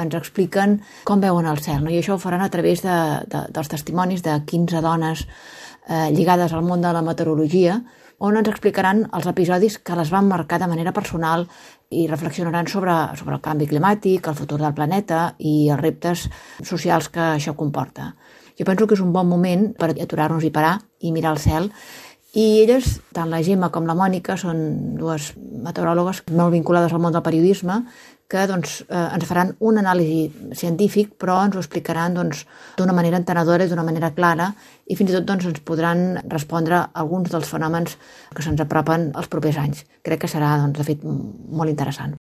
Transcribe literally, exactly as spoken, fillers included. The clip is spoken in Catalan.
ens expliquen com veuen el cel, no? I això ho faran a través de, de, dels testimonis de quinze dones eh, lligades al món de la meteorologia, on ens explicaran els episodis que les van marcar de manera personal i reflexionaran sobre, sobre el canvi climàtic, el futur del planeta i els reptes socials que això comporta. Jo penso que és un bon moment per aturar-nos i parar i mirar el cel. I elles, tant la Gemma com la Mònica, són dues meteoròlogues molt vinculades al món del periodisme que doncs, eh, ens faran un anàlisi científic, però ens ho explicaran doncs, d'una manera entenedora i d'una manera clara i fins i tot doncs, ens podran respondre a alguns dels fenòmens que se'ns apropen els propers anys. Crec que serà, doncs, de fet, molt interessant.